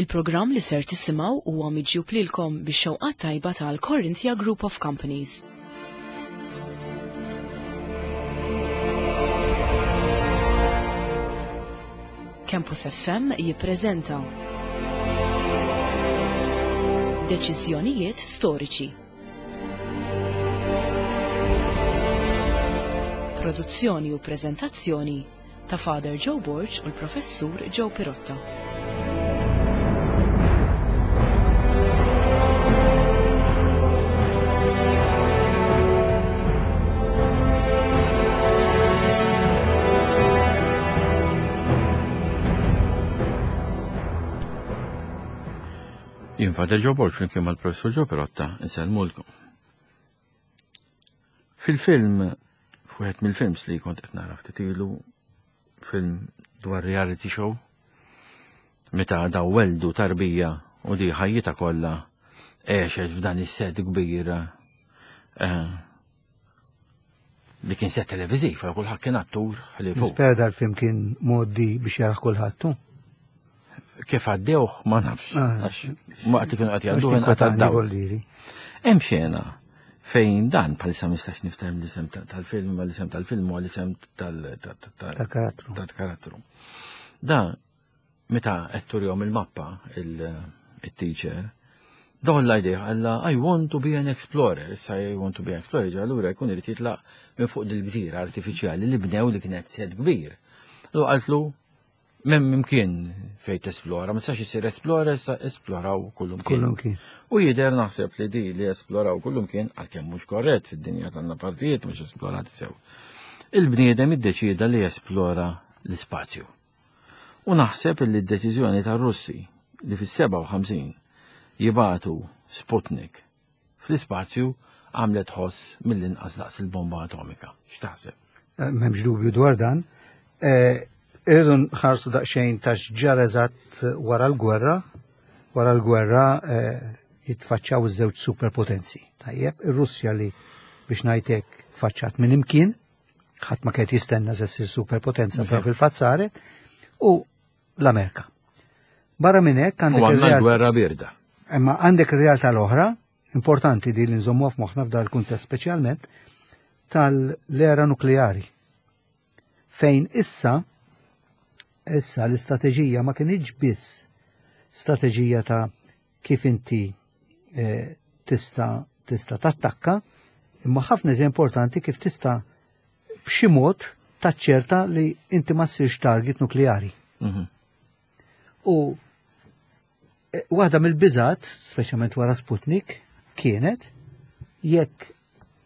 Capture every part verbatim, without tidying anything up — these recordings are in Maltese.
Il-programm li ser tisimgħu huwa miġjub lilkom bix-xewqat tajba tal-Corinthia Group of Companies. Campus F M jippreżenta Deċiżjonijiet storiċi. Produzzjoni u preżentazzjoni ta' Father Joe Borg u l-Professur Joe Pirotta. Jien Father Joe Borg flimkien mal-Professur Joe Pirotta insellmulkom. Fil-film, f'wieħed mill-films li kont qed nara ftit ilu, film dwar reality show, meta daw weldu tarbija u di ħajjitha kollha għexet f'dan is-set kbir, eh, li kien set televiżiv, għal kulħadd kien attur ħlief hu. Nispera dal-film kien mgħoddi biex jarah kulħadd, hu? Kif għaddewh ma nafx, Ah. għax waqt li kienu qed Għax jgħadduh kien inqata' kwatani d-dawl. voldiri. Hemm xena fejn dan bħalissa ma nistax nifhem l-isem ta-, tal-film, ma l-isem tal-film huwa l-isem tal-, ta-, ta-, ta-, Tal-karattru. tal-karattru. Da meta qed turihom il-mappa il-, il-teacher, dawn l-idea għalla I want to be an explorer, issa I want to be an explorer, ġa allura jkun irid jitlaq minn fuq dil-gżira artifiċjali li bnew li kienet set kbir. Lu qaltlu m'hemm imkien fejn tesplora, ma tistax issir explorer, issa esploraw kullum kien. Kullum kien. U jidher naħseb li di li esploraw kullum kien, għalkemm mhux korrett fid-dinja tagħna partijiet mhux esplorati sew. Il-bniedem iddeċieda li jesplora l-ispazju. U naħseb li d-deċiżjoni tar-Russi li fis-seba' u ħamsin jibatu Sputnik fl-ispazju għamlet ħoss mill-inqas daqs il-bomba atomika. X'taħseb? Eh, m'hemmx dubju dwar dan. Eh, irridu nħarsu daqsxejn ta' x'ġara eżatt wara l-gwerra. Wara l-gwerra, eh, jitfaċċaw iż-żewġ superpotenzi. Tajjeb, ir-Russja li biex ngħidlek faċċat minn imkien, ħadd ma kien jistenna se ssir superpotenza, Mhm. però fil-fatt saret, u l-Amerika. Barra minn hekk għandek U għandna ir-realtà l-gwerra birda. Imma għandek ir-realtà l-oħra, importanti di li nżommuha f'moħħna f'dan il-kuntest speċjalment, tal-era nukleari. Fejn issa, issa l-istrateġija ma kienx biss strateġija ta' kif inti, eh, tista', tista' tattakka, imma ħafna iżjed importanti kif tista' b'xi mod taċċerta li inti ma ssirx target nukleari. Mhm. U, eh, waħda mill-biżat, speċjalment wara Sputnik, kienet jekk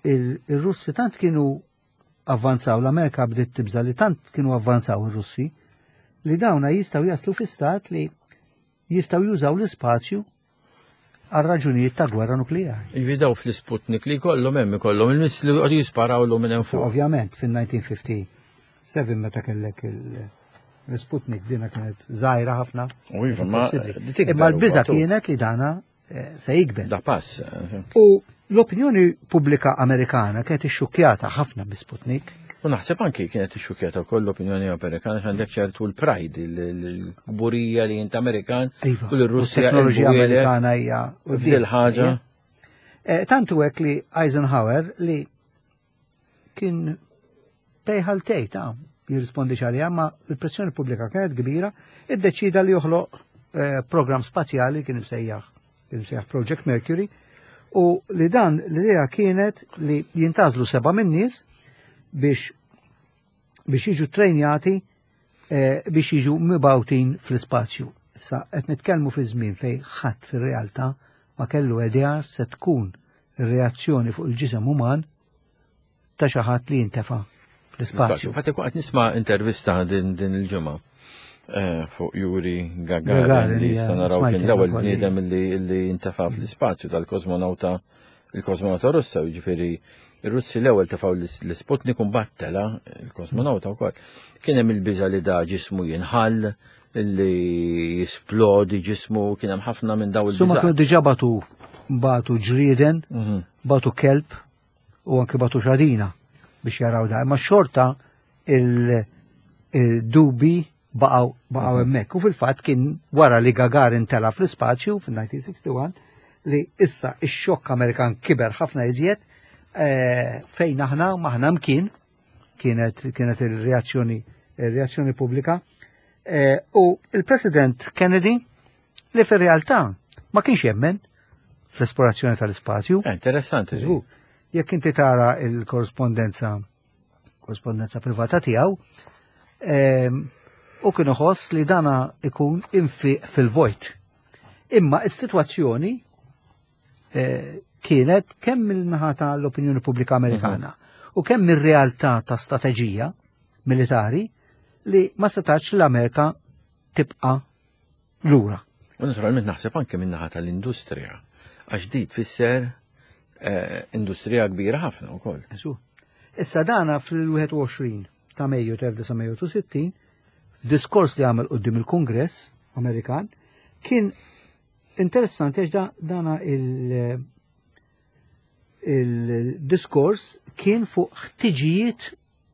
il-, il-Russi tant kienu avvanzaw, l-Amerika bdiet tibża li tant kienu avvanzaw ir-Russi, li dawna jistgħu jaslu fi stat li jistgħu jużaw l-ispazju għal raġunijiet ta' gwerra nukleari. Jvidaw fl-Sputnik li kollhom hemm ikollhom il-missili li qogħdu jisparaw lhom minn hemm fuq. Ovvjament, fin-nineteen fifty-seven meta kellek il-, l-Sputnik dina kienet żgħira ħafna. U iva, ma Possibbli. di tikber Imma l-biża u għatu. kienet li dana, eh, se jikber. Da pass, eh. U l-opinjoni pubblika Amerikana kienet ixxukkjata ħafna bi Sputnik. U naħseb anki kienet ixxukkjata wkoll l-opinjoni Amerikana għax għandek ċertu l-pride, il-, il-, il-kburija li int Amerikan Iva, u l-Russja u t-teknoloġija il-bujielek Amerikana hija u f'dil ħaġa. Eh, tantu hekk li Eisenhower li kien tejħal tej ta' jirrispondi għalija, ma l-pressjoni pubblika kienet kbira, iddeċida li joħloq, eh, program spazjali kien imsejjaħ, kien imsejjaħ Project Mercury, u li dan l-idea kienet li jintażlu seba' min-nies biex, biex jiġu trejnjati, eh, biex jiġu mibawtin fl-ispazju. Issa qed nitkellmu fi żmien fejn ħadd fir-realtà ma kellu idea se tkun ir-reazzjoni fuq il-ġisem uman ta' xi ħadd li jintefa' fl-ispazju. Fatt ikun qed nisma' intervista din, din il-ġimgħa, eh, fuq Yuri Gagarin, Gagarin, li hija issa naraw smajt kien l-ewwel ukoll. bniedem li, li jintefa' fl-ispazju tal-kosmonawta, il-kosmonawta Russa, jiġifieri ir-Russi l-ewwel tefgħu l-, l-Sputnik u mbagħad tela il-kosmonawta wkoll. Kien hemm il-biża' li da ġismu jinħall, li jisplodi ġismu, kien hemm ħafna minn dawn Summa il-biża'. kienu diġà batu, batu ġrieden, Mhm. batu kelb u anke batu xadina biex jaraw da. Imma xorta il-dubi baqgħu baqgħu hemmhekk. U fil-fatt kien wara li Gagarin tela fl-ispazju fil-elf disa' mija u wieħed u sittin li issa ix-xokk Amerikan kiber ħafna iżjed, eh, fejn aħna m'aħna mkien, kienet kienet il-reazzjoni il-reazzjoni pubblika. Eh, u il-President Kennedy, li fir-realtà ma kienx jemmen fl-esplorazzjoni tal-ispazju. Eh, interessanti. Żgur. Jekk inti tara il-korrespondenza korrespondenza privata tiegħu, ehm, u kien iħoss li dana ikun infiq fil-vojt. Imma is-sitwazzjoni eh, kienet kemm mill-naħa tal-opinjoni pubblika Amerikana u kemm mir-realtà ta' strateġija militari li ma setax l-Amerika tibqa' lura. U naturalment naħseb anke min-naħa tal-industrija, għax di tfisser eh, industrija kbira ħafna wkoll. Eżu. Issa dana fil-wieħed u għoxrin ta' Mejju tal-elf disa' mija u sittin, f'diskors li għamel quddiem il-Kongress Amerikan, kien interessanti għax da, dana il- il-diskors kien fuq ħtiġijiet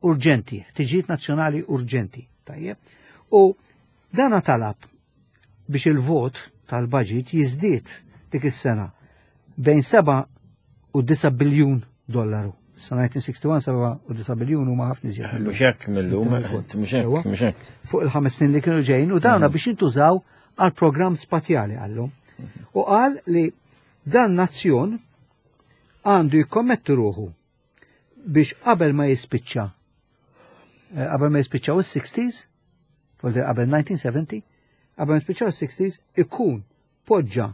urġenti, ħtiġijiet nazzjonali urġenti. Tajjeb. U dana talab biex il-vot tal-budget jiżdied dik is-sena bejn seba' u disa' biljun dollaru. Sa elf disa' mija u wieħed u sittin, seba' u disa' biljun huma ħafna iżjed mill-lum. Mhux hekk mill-lum, mhux hekk, mhux hekk. Fuq il-ħames snin li kienu ġejjin u dawna biex jintużaw għal programm spazjali għallum. U qal li dan nazzjon għandu jikkommetti ruħu biex qabel ma jispiċċa eh, qabel ma jispiċċaw is-sixties, vuol qabel elf disa' mija u sebgħin, qabel ma jispiċċaw is-sixties ikun poġġa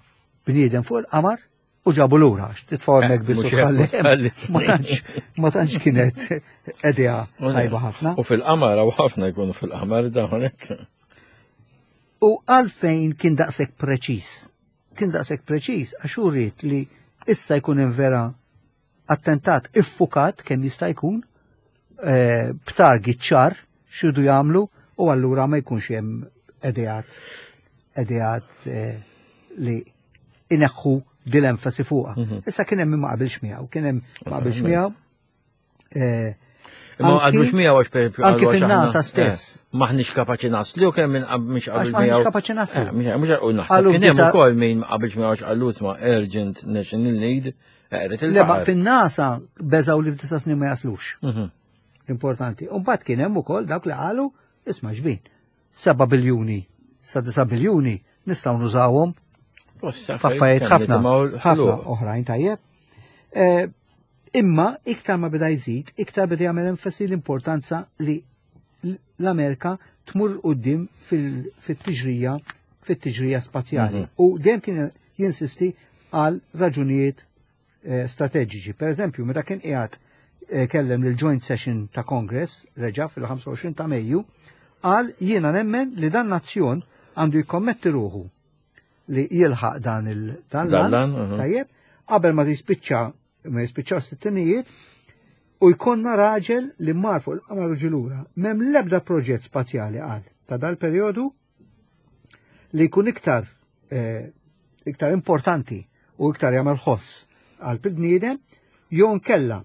bniedem fuq il-qamar u ġabu lura, għax titfgħu hemmhekk biss u Mhux hekk, tħalli. tħalli. Ma tantx ma tantx kienet idea tajba ħafna. U fil-qamar, u ħafna jkunu fil-qamar dawn hekk. U għalfejn kien daqshekk preċiż? Kien daqshekk preċiż għax hu ried li issa jkun hemm vera attentat iffukat kemm jista' jkun, eh, b'target ċar x'iridu jagħmlu, u allura ma jkunx hemm ideat ideat eh, li ineħħu dil-enfasi fuqha. Mhm. Issa kien hemm min ma qabilx miegħu, kien hemm ma qabilx miegħu. eh, Ma anki- għadux miegħu għax per anki qalu għax fin-NASA aħna, stess. eh, Maħniex kapaċi naslu, kemm minn qab- mhix qabel Għax maħniex miegħu. kapaċi naslu. Eh, Mhux mhux u naħseb Qalu kien hemm f'disa- ukoll min ma qabilx miegħu għax qalu isma' urgent national need, qeret Le, ma il-baħar. fin-NASA beżaw li f'disa' snin ma jaslux. Mhm. Importanti. U mbagħad kien hemm ukoll dawk li qalu isma' xbin. seba' biljuni sa disa' biljuni nistgħu nużawhom Bosta, f'affarijiet kemm ħafna nitimgħu ħafna ħluq. oħrajn tajjeb. Eh, Imma iktar ma beda jżid, iktar beda jagħmel enfasi l-importanza li l-Amerika tmur quddiem fil- fit-tiġrija fit-tiġrija spazjali. Mhm. U dejjem kien jinsisti għal raġunijiet eh, strateġiċi. Per eżempju, meta kien qiegħed eh, kellem lil Joint Session ta' Congress, reġa' fil-ħamsa u għoxrin ta' Mejju, qal jiena nemmen li dan nazzjon għandu jikkommetti ruħu li jilħaq dan il dan Dan l-għan, l-għan, mhm. tajjeb, qabel ma jispiċċa ma jispiċċaw sittinijiet u jkollna raġel li mar fuq il-qamar u ġie lura. M'hemm l-ebda proġett spazjali, qal, ta' dal-perjodu li jkun iktar eh, iktar importanti u iktar jagħmel ħoss għal bniedem jew nkella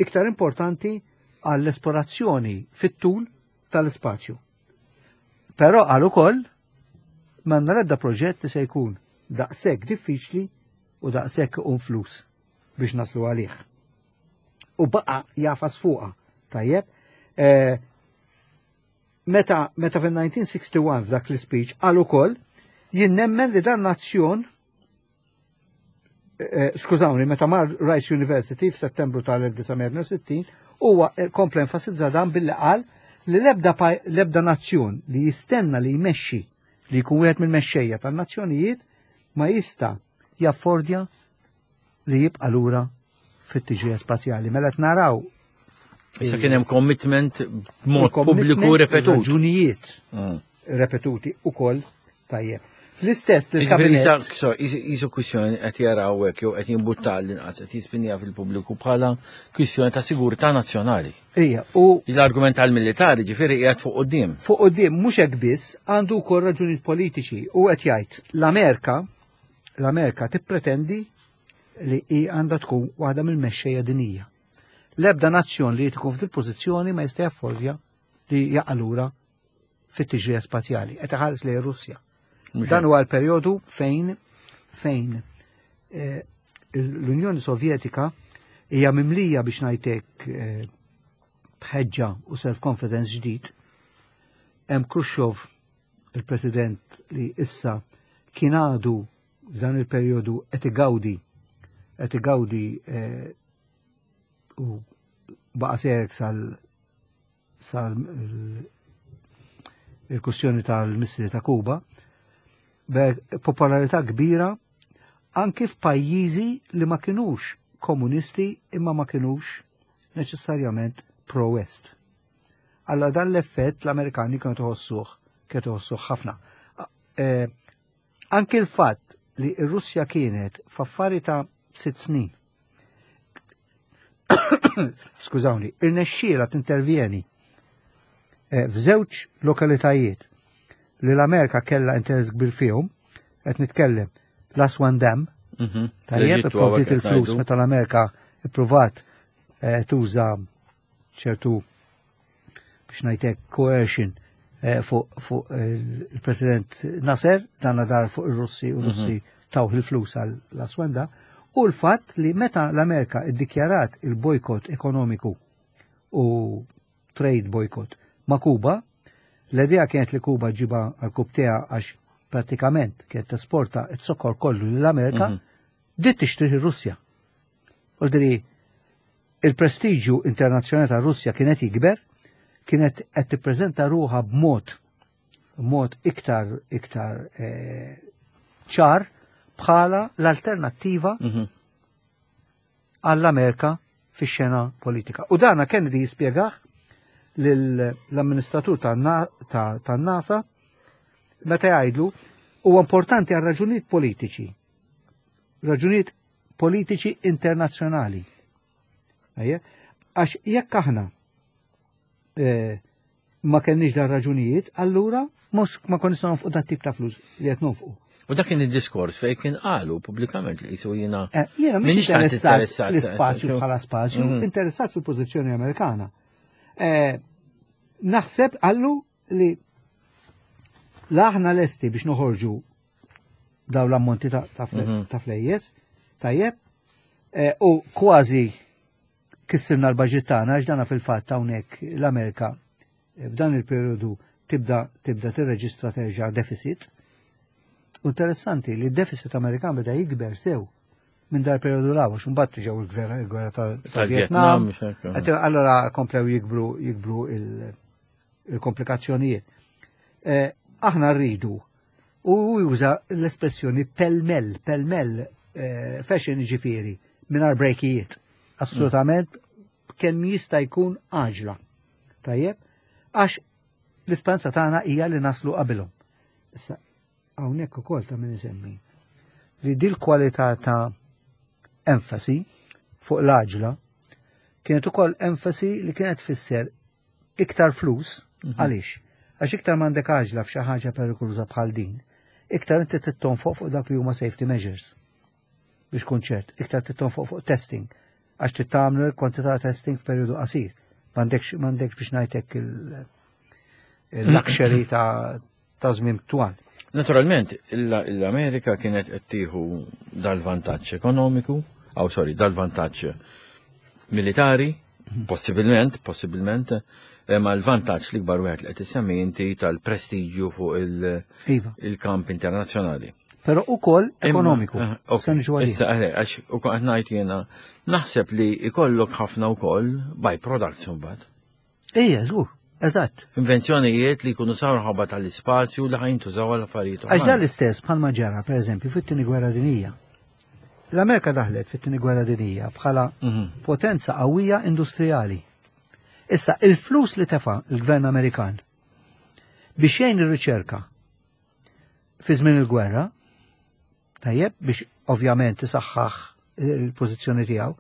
iktar importanti għall-esplorazzjoni fit-tul tal-ispazju. Però qal ukoll m'għandna l-ebda proġett li se jkun daqshekk diffiċli u daqshekk un flus biex naslu għalih. U baqa jagħfas fuqha, tajjeb. Eh, meta meta fil-elf disa' mija u wieħed u sittin f'dak l-speech qal ukoll jien nemmen li dan nazzjon, eh, skużawni, meta mar Rice University f'Settembru tal-elf disa' mija u sittin huwa eh, kompla enfasizza dan billi qal li l-ebda paj- l-ebda nazzjon li jistenna li jmexxi, li jkun wieħed mill-mexxejja tan-nazzjonijiet, ma jista' jaffordja li jibqa' lura fit-tiġrija spazjali. Mela qed naraw Issa kien hemm commitment b'mod il-commitment, pubbliku repetut. raġunijiet Mm. repetuti ukoll tajjeb. Fl-istess Jiġifieri il-kabinet issa- so, jisu kwistjoni qed jaraw hekk jew qed jimbutta l-inqas qed jispinja fil-pubbliku bħala kwistjoni ta' sigurtà nazzjonali. Ija, u L-argument tal-militari ġifieri qiegħed fuq quddiem. Fuq quddiem mhux hekk biss, għandu wkoll raġunijiet politiċi u qed jgħid l-Amerika l-Amerika tippretendi li hi għandha tkun waħda mill-mexxejja dinija. L-ebda nazzjon li tkun f'dil pożizzjoni ma jista' jaffordja li jaqa' lura fit-tiġrija spazjali, qed iħares lejn Russja. Dan huwa l-perjodu fejn fejn eh, l-Unjoni Sovjetika hija mimlija, biex ngħidlek, eh, bħeġġa u self-confidence ġdid. Hemm Khrushchev, il-president, li issa kien għadu f'dan il-perjodu qed igawdi qed igawdi eh, u baqa' serek sal sal il-kwestjoni tal-missili ta' Kuba, popolarità kbira anki f'pajjiżi li ma kinux komunisti imma ma kinux neċessarjament pro-West. Alla dan l-effett l-Amerikani kienu tħossuh, kienu tħossuh ħafna. E, anki l-fatt li r-Russja kienet f'affari ta' sitt snin, skużawni, irnexxiela tintervjeni e, f'żewġ lokalitajiet li l-Amerika kella interess kbir fihom, qed nitkellem l-Aswan Dam, Mhm. tajjeb, L-Eġittu ipprovdiet hawnhekk il-flus ngħidu. meta l-Amerika ippruvat eh, tuża ċertu, biex ngħidlek, coercion eh, fuq fuq il-President Nasser, dan dar fuq ir-Russi u Russi tawh il-flus għal l-Aswan Dam, u l-fatt li meta l-Amerika iddikjarat il-bojkot ekonomiku u trade boycott ma' Kuba, l-idea kienet li Kuba ġiba għal għax pratikament kienet tesporta it-sokkor kollu l-Amerika, Mhm. dit tixtrih ir-Russja. Vuoldiri, il-prestiġju internazzjonali ta' Russja kienet jikber, kienet qed tippreżenta ruħha b'mod mod iktar iktar eh, ċar bħala l-alternattiva Mhm. għall-Amerika fix-xena politika. U dana Kennedy jispjegah l-amministratur tan-NASA meta jgħidlu huwa importanti għal raġunijiet politiċi. Raġunijiet politiċi internazzjonali. Ejja, għax jekk aħna eh, ma kenniex dan raġunijiet, allura mhux ma konniex nonfqu dat tip ta' flus li qed nonfqu. U dak kien id-diskors fejn kien qalu pubblikament li jisu jiena Eh, Jiena mhix Minix tant interessat interessat, fl-ispazju eh, bħala spazju, Mhm. interessat fil-pożizzjoni Amerikana. Eh, Naħseb għallu li aħna lesti biex noħorġu daw l-ammonti ta' ta' fle- Mhm. ta' flejjes, tajjeb, eh, u kważi kissirna l-budget tagħna, għax dana fil-fatt hawnhekk l-Amerika eh, f'dan il-periodu tibda tibda tirreġistra terġa' deficit. U interessanti li d-deficit Amerikan beda jikber sew minn dar periodu law, għax imbagħad ġew il-gwerra il-gwerra tal- Tal-Vietnam, tal-Vietnam. mhux hekk. Għet- Allora komplew jikbru jikbru il- il-komplikazzjonijiet. Eh, Aħna rridu u juża l-espressjoni pell-mell, pell-mell eh, fashion, ġifieri, mingħajr brejkijiet. Assolutament kemm jista' jkun għaġla. Tajjeb, għax l-isperanza tagħna hija li naslu qabilhom. Issa hawnhekk ukoll ta' min isemmi li dil kwalità ta' enfasi fuq l-għaġla kienet ukoll enfasi li kienet tfisser iktar flus. Għaliex? Għax iktar m'għandek għaġla f'xi ħaġa perikoluża bħal din, iktar inti trid tonfoq fuq dak li huma safety measures. Biex kun ċert, iktar trid tonfoq fuq testing, għax trid tagħmlu kwantità ta' testing f'perjodu qasir. M'għandekx m'għandekx biex ngħidlek il- il-luxury ta' ta' żmien twal. Naturalment, l-Amerika kienet qed tieħu dal-vantaġġ ekonomiku, aw sorry, dal-vantaġġ militari, possibilment, possibilment, ma l-vantaġġ li kbar wieħed li qed issemmi inti tal-prestiġju fuq il- Iva. il-kamp internazzjonali. Però ukoll ekonomiku. Imma, eh, ok, Se niġu għalih. Issa, eh, għax u qed ngħid jiena naħseb li ikollok ħafna wkoll by products imbagħad. Ejja, żgur, eżatt. Invenzjonijiet li jkunu saru ħabba tal-ispazju li ħajntużaw għal affarijiet Għax dan oħrajn. l-istess bħalma ġara, per eżempju, fit-tieni gwerra dinija. L-Amerika daħlet fit-tieni gwerra dinija bħala Mhm. potenza qawwija industrijali. Issa, il-flus li tefa il-gvern Amerikan biex jgħin ir-riċerka fi żmien il-gwerra, tajjeb, biex ovvjament isaħħaħ il-pożizzjoni tiegħu,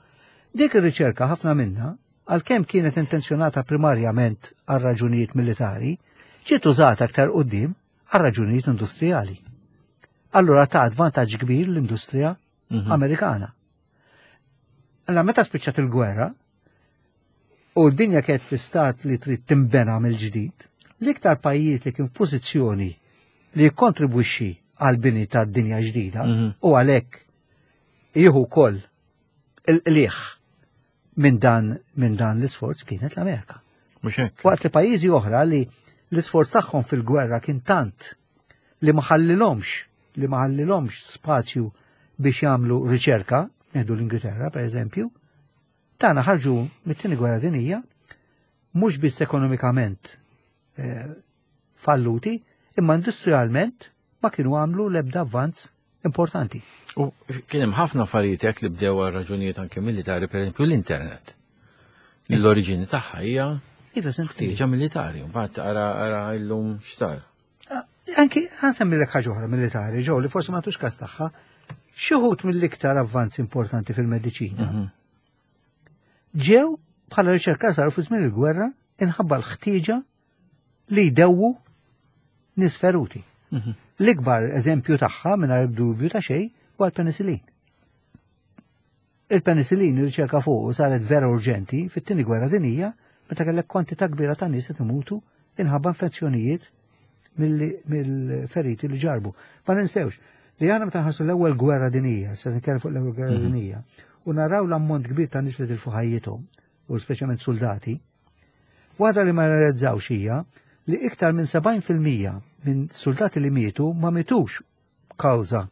dik ir-riċerka ħafna minna, għalkemm kienet intenzjonata primarjament għal raġunijiet militari, ġiet użata aktar quddiem għal raġunijiet industrijali. Allura ta' vantaġġ kbir l-industrija Mhm. Amerikana. Allora meta spiċċat il-gwerra u d-dinja kienet fi stat li trid timbena mill-ġdid, L-iktar pajjiż li kien f'pożizzjoni li jikkontribwixxi għal bini ta' dinja ġdida Mhm. u għalhekk jieħu wkoll il-qliħ minn dan minn dan l-isforz kienet l-Amerika. Mhux hekk. Waqt li pajjiżi oħra li l-isforz tagħhom fil-gwerra kien tant li ma ħallilhomx li ma ħallilhomx spazju biex jagħmlu riċerka, nieħdu l-Ingilterra per eżempju, tagħna ħarġu mit-tieni gwerra dinija mhux biss ekonomikament eh, falluti, imma industrialment ma kienu għamlu l-ebda avvanz importanti. U kien hemm ħafna affarijiet hekk li bdew għal raġunijiet anke militari, per eżempju l-internet. Li L-oriġini tagħha hija Iva, senti. ħtieġa militari, mbagħad ara ara illum x'sar. Anki ħa ħaġa oħra militari, ġew li forsi ma tux kas tagħha, xi wħud mill-iktar avvanzi importanti fil-mediċina Mhm. ġew bħala riċerka saru fi żmien il-gwerra inħabba l-ħtieġa li jdewwu nies feruti. Mhm. L-ikbar eżempju tagħha mingħajr dubju ta' xejn huwa l-penicillin. Il-penicillin ir-riċerka fuq saret vera urġenti fit-tieni gwerra dinija meta kellek kwantità kbira ta' nies qed imutu inħabba infezzjonijiet mill- mill-feriti li ġarbu. Ma ninsewx li aħna meta nħarsu l-ewwel gwerra dinija, se nitkellem fuq l-ewwel gwerra Mhm. dinija, u naraw l-ammont kbir ta' nies li tilfu ħajjithom, u speċjalment soldati, waħda li ma realizzawx hija li iktar minn sebgħin fil-mija minn soldati li mietu ma mietux kawża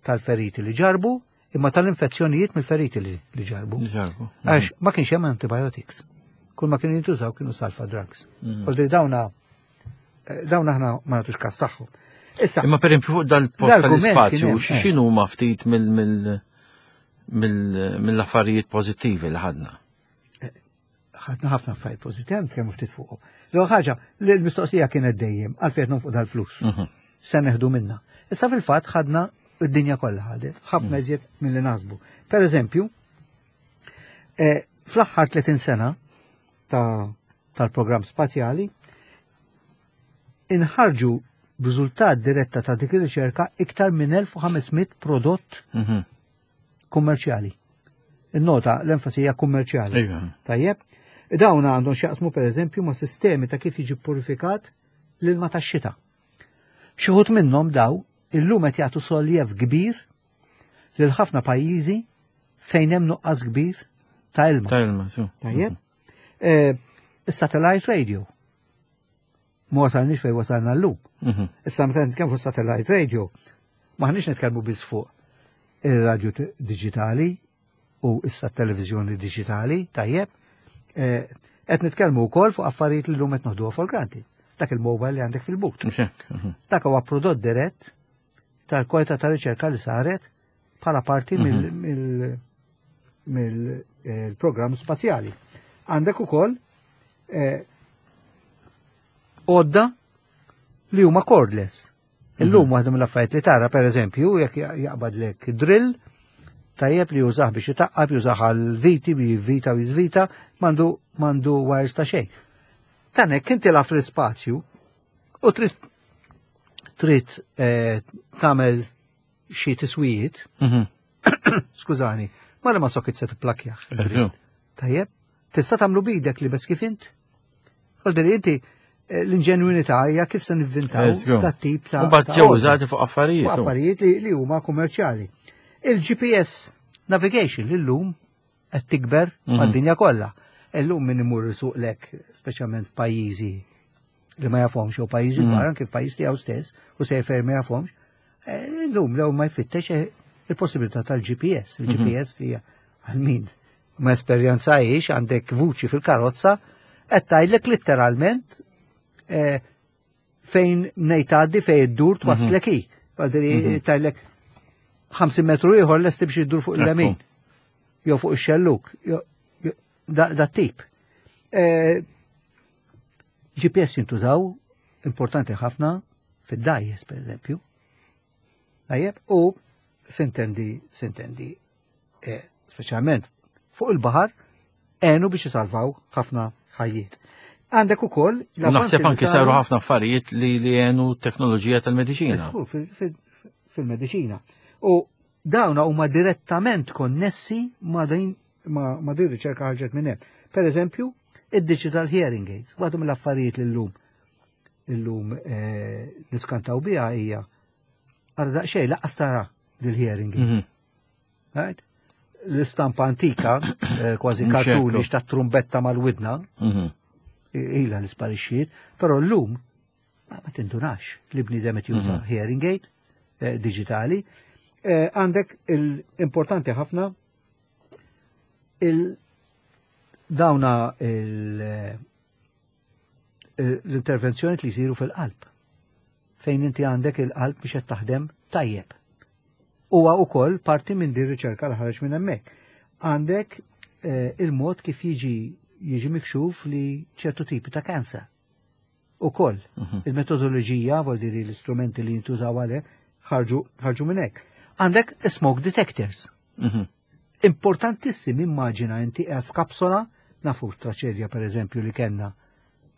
tal-feriti li ġarbu, imma tal-infezzjonijiet mill-feriti li li ġarbu. Ġarbu. Għax ma kienx hemm antibiotics. Kull ma kienu jintużaw kienu sulfa drugs. Mhm. Oldi dawna eh, dawna aħna ma nagħtux kas tagħhom. Issa, Imma per esempio fuq dal-post L-argument tal-ispazju, kien hemm, eh. x'inhu ma ftit mill mill mill mill-affarijiet pożittivi li ħadna? Ħadna ħafna affarijiet pożittivi, nitkellmu ftit fuqhom. L-ewwel ħaġa, li l-mistoqsija kienet dejjem għalfejn fuq dal-flus. Mhm. Se neħdu minna. Issa fil-fatt ħadna id-dinja kollha ħadet, ħafna iżjed milli naħsbu. Per eżempju, eh, fl-aħħar tletin sena ta' tal-programm spazjali inħarġu b'riżultat diretta ta' dik ir-riċerka iktar minn elf u ħames mitt prodott Mhm. kummerċjali. Il-nota l-enfasi hija kummerċjali. Iva. Tajjeb, dawn għandhom x'jaqsmu per eżempju ma' sistemi ta' kif jiġi purifikat l-ilma tax-xita. Xi wħud minnhom daw illum qed jagħtu soljev kbir lil ħafna pajjiżi fejn hemm nuqqas kbir ta' ilma. Ta' ilma, su. Tajjeb. Eh, Is-satellite radio. Ma wasalniex fejn wasalna llum. Mhm. Issa meta nitkellmu fuq satellite radio, maħniex nitkellmu biss fuq ir-radio t- digitali u issa televizjoni digitali, tajjeb. Eh, Qed nitkellmu wkoll fuq affarijiet li llum qed noħduha for granted. Dak il-mobile li għandek fil-but. Mhux hekk. Mhm. Dak huwa prodott dirett tal-kwalità ta' riċerka li saret bħala parti mill- mill-programm spazjali. Għandek ukoll eh, għodda li huma cordless. Illum waħda mill-affarijiet li tara, per eżempju, jekk jaqbadlek drill, tajjeb li jużah biex itaqqab, jużah għal viti, bi vita u jizvita, m'għandu m'għandu wires ta' xejn. Tanek inti la fl-ispazju u trid trid eh, tagħmel xi tiswijiet, Mhm. skużani, ma li ma socket se tipplakjaħ. Ekku. Tajjeb, tista' tagħmlu bidek li bes kif int. Għaldir inti eh, l-inġenwinità hija kif se nivvintaw Let's go. ta' tip ta' U mbagħad ta' ġew għodda. użati fuq affarijiet. Fuq u. affarijiet li, li huma kummerċjali. Il-G P S navigation li llum qed tikber Mhm. mad-dinja kollha. Illum min imur suqlek, speċjalment f'pajjiżi li ma jafhomx jew pajjiżi Mhm. kbar, anke f'pajjiż tiegħu stess u sejfer ma jafhomx, eh, illum lew ma jfittex eh, il-possibilità tal-G P S. Il-G P S li hija għal min ma esperjenzajx għandek vuċi fil-karozza qed tgħidlek litteralment eh, fejn ngħid tgħaddi, fejn iddur twaslek hi. Għadri Mhm. tgħidlek ħamsin metru ieħor lesti biex iddur fuq il-lemin. Jew fuq ix-xelluk. jew- jew- Da, da tip. Eh, G P S jintużaw importanti ħafna fid-dgħajjes, per eżempju. Tajjeb, u sintendi, sintendi, eh, speċjalment fuq il-baħar, għenu biex jisalvaw ħafna ħajjiet. Għandek ukoll U naħseb anke saru ħafna affarijiet li li għenu teknoloġija tal-mediċina. Fil- fil- fil- Fil-medicina. U dawna huma direttament konnessi ma' din ma, ma din riċerka ħarġet minn hemm. Per eżempju, id-digital hearing aids, waħda mill-affarijiet li llum illum eh, niskantaw biha hija għara daqsxejn lanqas tara dil-hearing. Mhm. Right? L-istampa antika, eh, kważi Mhux kartuni hekk. ta' trumbetta mal-widna, Mhm. ila li sparixxiet, però llum ma ma tindunax li bniedem qed juża Mhm. hearing aid eh, digitali. Eh, Għandek il-importanti ħafna il dawna il- eh, l-intervenzjoni li jsiru fil-qalb. Fejn inti għandek il-qalb biex qed taħdem tajjeb. Huwa wkoll parti minn din riċerka li ħareġ minn hemmhekk. Għandek eh, il-mod kif jiġi jiġi mikxuf li ċertu tipi ta' kanser. Ukoll, Mhm. il-metodoloġija, vuol dire l-istrumenti li jintużaw għalih, ħarġu ħarġu minn hekk. Għandek smoke detectors. Mhm. Importantissim immaġina inti qiegħed f'kapsola, nafu traċedja per eżempju li kellna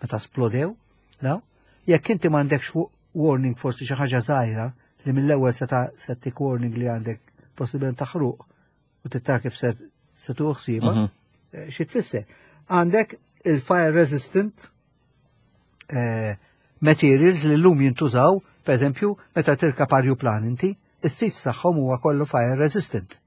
meta splodew, daw, jekk inti m'għandekx wa- warning forsi xi ħaġa żgħira li mill-ewwel se ta' se tik warning li għandek possibilment taħruq u tittar kif se se tuħ ħsiebha, Mhm. eh, xi tfisser. Għandek il-fire resistant eh, materials li llum jintużaw, per eżempju, meta tirkab arjuplan inti, is-seats tagħhom huwa kollu fire resistant.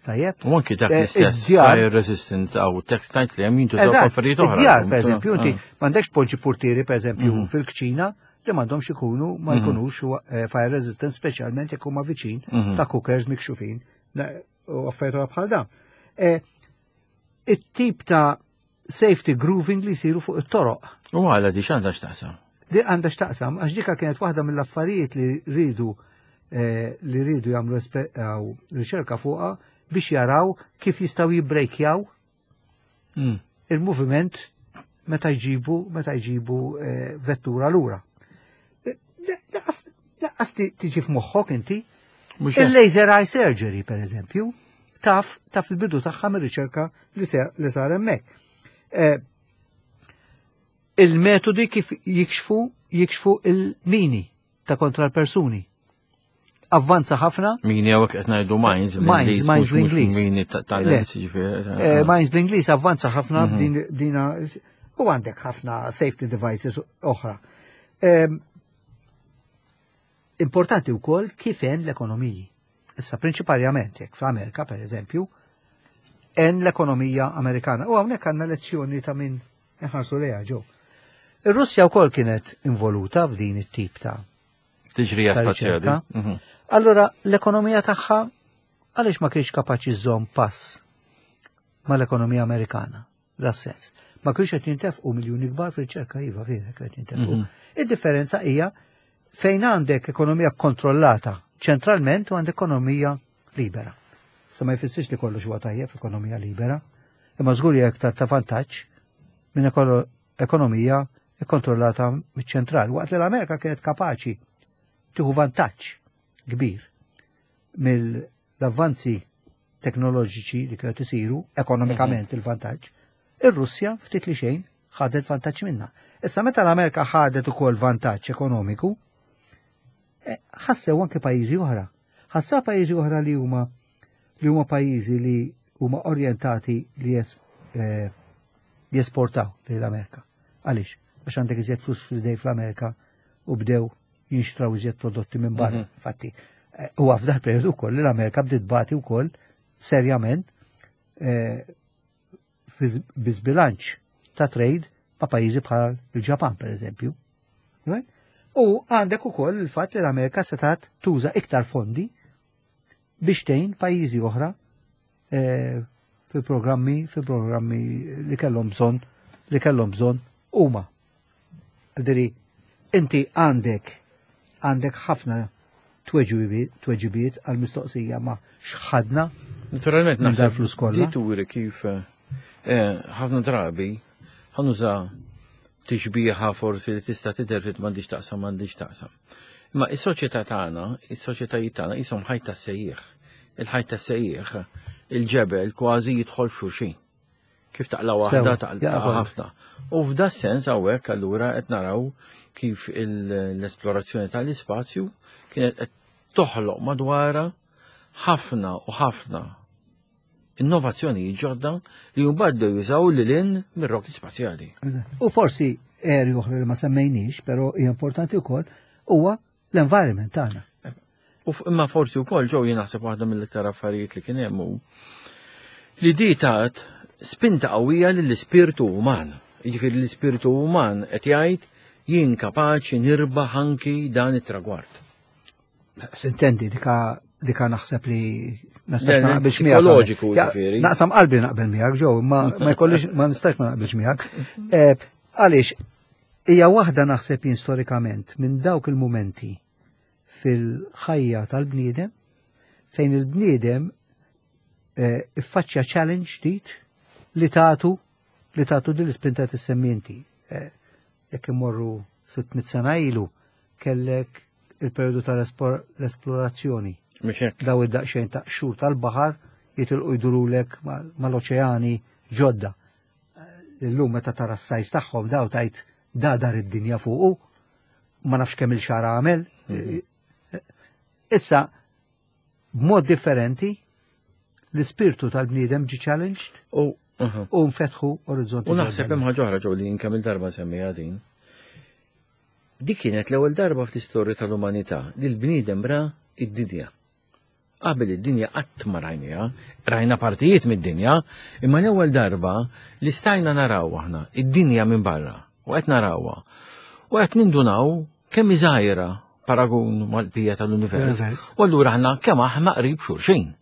Tajjeb? U anki dak Eh, l-istess id-djar- fire resistant aw textile li hemm jintużaw Eżatt, affarijiet oħra. id-djar, per eżempju, inti Ah. m'għandekx poġġi portieri, per eżempju, Mhm. fil-kċina li m'għandhomx ikunu, ma Mhm. jkunux eh, fire resistant, speċjalment jekk huma viċin Mhm. ta' cookers mikxufin na- u affarijiet oħra bħal dawn. Eh, It-tip ta' safety grooving li jsiru fuq it-toroq. U għala di x'għandha x'taqsam? Di għandha x'taqsam, għax dika kienet waħda mill-affarijiet li rridu eh, li rridu jagħmlu espe- aw, riċerka fuqha biex jaraw kif jistgħu jibbrejkjaw Mm. il-moviment meta jġibu meta jġibu eh, vettura lura. Eh, Lanqas lanqas ti- tiġi f'moħħok inti. Mhux hekk. Il-laser eye surgery, per eżempju, taf taf il-bidu tagħha mir-riċerka li se- li sar hemmhekk. Eh, Il-metodi kif jikxfu jikxfu il-mini ta' kontra l-persuni. Avvanza ħafna, Mini hawnhekk qed ngħidu mines Mines, bl-Ingliż, mines mhux- mhux bl-Ingliż. Mini ta' Le. tal-Ingliż, jiġifieri. eh, mines bl-Ingliż avvanza ħafna Mhm. din dina u għandek ħafna safety devices oħra. Em, Importanti wkoll kif hemm l-ekonomiji. Issa prinċipalment jekk fl-Amerika per eżempju, hemm l-ekonomija Amerikana. U hawnhekk għandna lezzjoni ta' min inħarsu lejha ġew. Ir-Russja wkoll kienet involuta f'din it-tip ta' Tiġrija ta' spazjali. riċerka. Mhm. Allora, l-ekonomija tagħha għaliex ma kienx kapaċi żżomm pass mal-ekonomija Amerikana, da sens. Ma kienx qed jintefqu miljuni kbar fir-riċerka iva vera qed jintefqu. Mhm. Id-differenza hija fejn għandek ekonomija kontrollata ċentralment u għandek ekonomija libera. Sa ma jfissirx li kollox huwa tajjeb f'ekonomija libera, imma żgur hija aktar ta' vantaġġ minn ekolo- ekonomija kontrollata miċ-ċentral. Waqt li l-Amerika kienet kapaċi tieħu vantaġġ kbir mill-avvanzi teknoloġiċi li kienu isiru ekonomikament il-vantaġġ, ir-Russja ftit li xejn ħadet vantaġġ minna. Issa meta l-Amerika ħadet ukoll vantaġġ ekonomiku, eh, ħassew anke pajjiżi oħra. Ħassew pajjiżi oħra li huma li huma pajjiżi li huma orjentati li jes, eh, jesportaw lejn l-Amerika. Għaliex? Għax għandek iżjed flus fl-idej fl-Amerika u bdew jinxtraw iżjed prodotti minn barra. Mhm. Infatti, eh, huwa f'dak periodu wkoll li l-Amerika bdiet bati wkoll serjament eh, fi biżbilanċ ta' trade ma' pajjiżi bħal il-Ġapan per eżempju. Right? U għandek ukoll il-fatt li l-Amerika setat tuża iktar fondi biex tgħin pajjiżi oħra eh, fil-programmi fil-programmi li kellhom bżonn li kellhom bżonn huma. Diri, inti għandek għandek ħafna tweġibiet tweġibiet għal mistoqsija ma x'ħadna Naturalment Minn naħseb dal-flus kollha. Di turi kif eh, ħafna drabi ħa nuża tixbiha forsi li tista' tidher fit m'għandix taqsam m'għandix taqsam. Imma is-soċjetà tagħna, is-soċjetajiet tagħna qishom ħajt tas-sejjieħ. Il-ħajt tas-sejjieħ, il-ġebel kważi jidħol f'xulxin. Kif taqla waħda Sewa, taqla jaqbel. ħafna. U f'da sens hawnhekk allura qed naraw kif il- l-esplorazzjoni tal-ispazju kienet qed toħloq madwarha ħafna u ħafna innovazzjoni ġodda li mbagħad bdew jużaw lil hinn mir-rokti spazjali. U forsi area oħra li ma semmejniex, però hija importanti wkoll, huwa l-environment tagħna. U imma forsi wkoll ġew jien naħseb waħda mill-iktar affarijiet li kien hemm hu li di tat spinta qawwija lill-ispirtu uman. Jiġifieri l-ispirtu uman qed jgħid jien kapaċi nirbaħ anki dan it-tragward. Sintendi dika dika naħseb li nistax ma naqbilx miegħek. Psikoloġiku jiġifieri. Naqsam qalbi naqbel miegħek ġew, ma ma jkollix ma nistax ma naqbilx miegħek. Eh, għaliex hija waħda naħseb jien storikament minn dawk il-mumenti fil-ħajja tal-bniedem fejn il-bniedem eh, iffaċċja challenge ġdid li tagħtu li tagħtu din l-ispinta tissemmi inti. Eh, jekk imorru sitt mitt sena ilu kellek il-periodu tal-esplorazzjoni. Daw id-daqsxejn ta' xhur tal-baħar jitilqu jdurulek mal-oċeani ġodda. Eh, illum meta tara s-size tagħhom daw tajt da dar id-dinja fuqu, ma nafx kemm il-xara għamel. Mhm. Issa, b'mod differenti, l-ispirtu tal-bniedem ġi challenged u u nfetħu orizzonti. U naħseb hemm ħaġa oħra ġew li kemm il-darba semmija din. Dik kienet l-ewwel darba fl-istorja tal-umanità li l-bniedem ra id-dinja. Qabel id-dinja qatt ma rajniha, rajna partijiet mid-dinja, imma l-ewwel darba li stajna naraw aħna id-dinja minn barra u qed narawha. U qed nindunaw kemm żgħira paragun mal-bija tal-univers. U allura aħna kemm aħna qrib xulxin.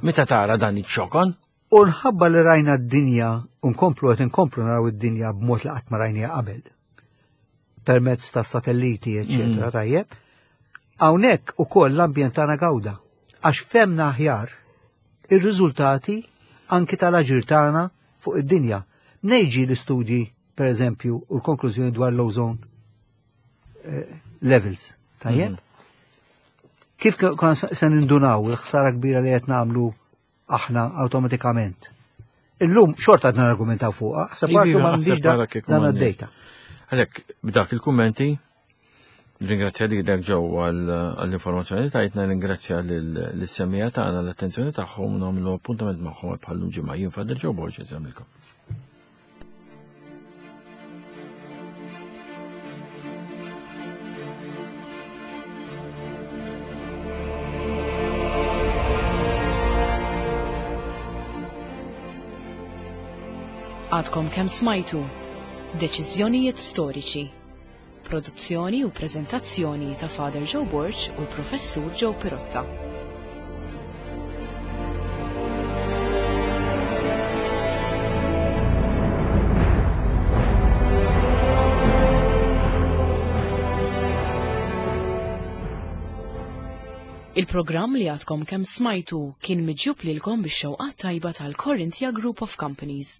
Meta tara dan iċ-ċokon? U nħabba li rajna d-dinja, u nkomplu qed inkomplu naraw id-dinja b'mod li qatt ma rajniha qabel. Permezz ta' satelliti, eċetera, mm. tajjeb. Hawnhekk ukoll l-ambjent tagħna gawda. Għax femna aħjar ir-riżultati anki tal-aġir tagħna fuq id-dinja. Nejġi l-istudji, per eżempju, u l-konklużjoni dwar l-ozone eh, levels. Tajjeb? Mm. Kif konna se nindunaw il-ħsara kbira li qed nagħmlu aħna awtomatikament? Illum xorta għadna argumentaw fuqha, ħseb ma m'għandix dan id-data. Għalhekk b'dak il-kummenti ringrazzja li dak ġew għall-informazzjoni tajtna, ringrazzja lis-semmiegħa tagħna l-attenzjoni tagħhom, nagħmlu appuntament magħhom bħal ġimgħa. Jien Father Joe Borg insemmilkom. Għadkom kemm smajtu Deċiżjonijiet Storiċi. Produzzjoni u preżentazzjoni ta' Father Joe Borg u l-Professur Joe Pirotta. Il-programm li għadkom kemm smajtu kien miġjub lilkom bix-xewqat tajba tal-Corinthia Group of Companies.